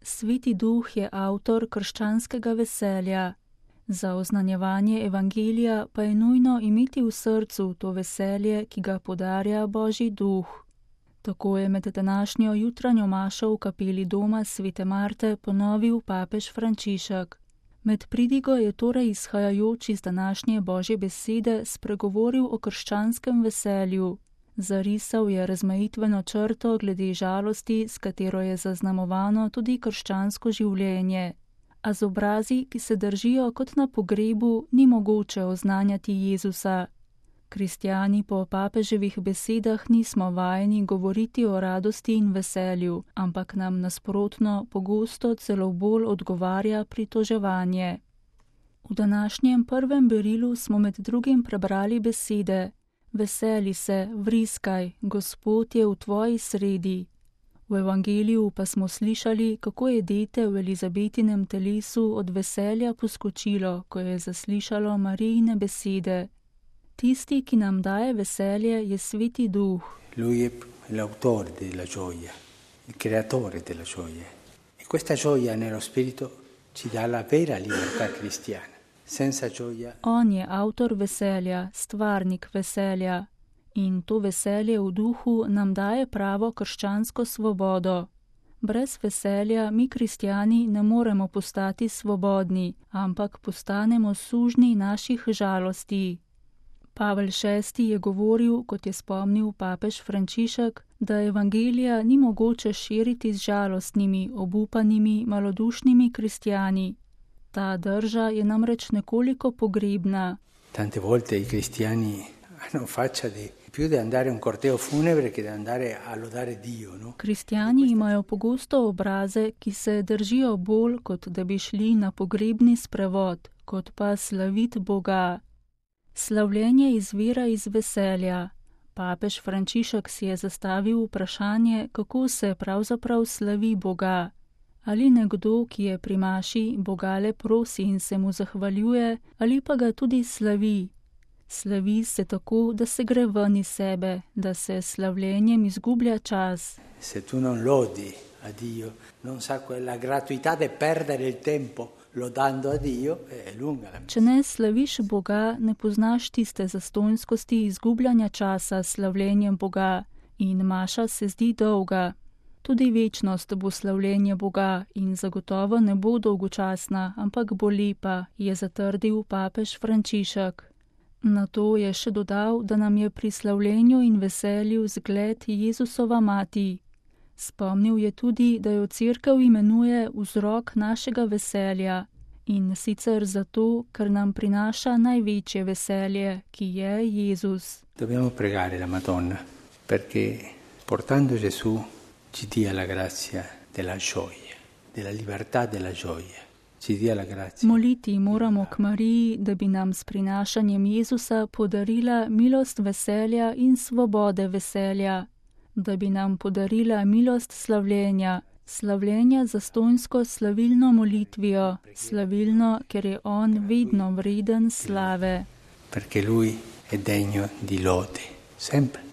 Sveti Duh je avtor krščanskega veselja. Za oznanjevanje evangelija pa je nujno imeti v srcu to veselje, ki ga podarja Božji Duh. Tako je med današnjo jutranjo mašo v kapeli doma Svete Marte ponovil papež Frančišek. Med pridigo je torej izhajajoč iz današnje Božje besede spregovoril o krščanskem veselju. Zarisal je razmejitveno črto glede žalosti, s katero je zaznamovano tudi krščansko življenje. A z obrazi, ki se držijo kot na pogrebu, ni mogoče oznanjati Jezusa. Kristjani po papeževih besedah nismo vajeni govoriti o radosti in veselju, ampak nam nasprotno pogosto celo bolj odgovarja pritoževanje. V današnjem prvem berilu smo med drugim prebrali besede: Veseli se, vriskaj, Gospod je v tvoji sredi. V evangeliju pa smo slišali, kako je dete v Elizabetinem telesu od veselja poskočilo, ko je zaslišalo Marijine besede. Tisti, ki nam daje veselje, je Sveti Duh. Lui è l'autore della gioia, il creatore della gioia. E questa gioia nello spirito ci dà la vera libertà cristiana. Senza gioia... On je avtor veselja, stvarnik veselja. In to veselje v duhu nam daje pravo krščansko svobodo. Brez veselja mi kristjani ne moremo postati svobodni, ampak postanemo sužnji naših žalosti. Pavel VI je govoril, kot je spomnil papež Frančišek, da evangelija ni mogoče širiti z žalostnimi, obupanimi, malodušnimi kristjani. Ta drža je namreč nekoliko pogrebna. Tante volte i cristiani hanno faccia di più di andare un corteo funebre che di andare a lodare Dio, no? Kristjani imajo pogosto obraze, ki se držijo bolj, kot da bi šli na pogrebni sprevod, kot pa slavit Boga. Slavljenje izvira iz veselja. Papež Frančišek si je zastavil vprašanje, kako se pravzaprav slavi Boga. Ali nekdo, ki je pri maši, Boga le prosi in se mu zahvaljuje, ali pa ga tudi slavi. Slavi se tako, da se gre ven iz sebe, da se slavljenjem izgublja čas. Se tu non lodi a Dio, non sa quella gratuità de perdere il tempo lodando a Dio, è lunga la messa. Če ne slaviš Boga, ne poznaš tiste zastonjskosti izgubljanja časa s slavljenjem Boga in maša se zdi dolga. Tudi večnost bo slavljenje Boga in zagotovo ne bo dolgočasna, ampak bo lepa, je zatrdil papež Frančišek. Na to je še dodal, da nam je pri slavljenju in veselju zgled Jezusova mati. Spomnil je tudi, da jo Cerkev imenuje vzrok našega veselja in sicer zato, ker nam prinaša največje veselje, ki je Jezus. Dobbiamo pregare la Madonna, perché portando Gesù ci dia la grazia della gioia, della libertà della gioia. Moliti moramo k Mariji, da bi nam s prinašanjem Jezusa podarila milost veselja in svobode veselja, da bi nam podarila milost slavljenja, slavljenja zastonjsko slavilno molitvijo, slavilno, ker je on vedno vreden slave. Perché lui è degno di lode, sempre.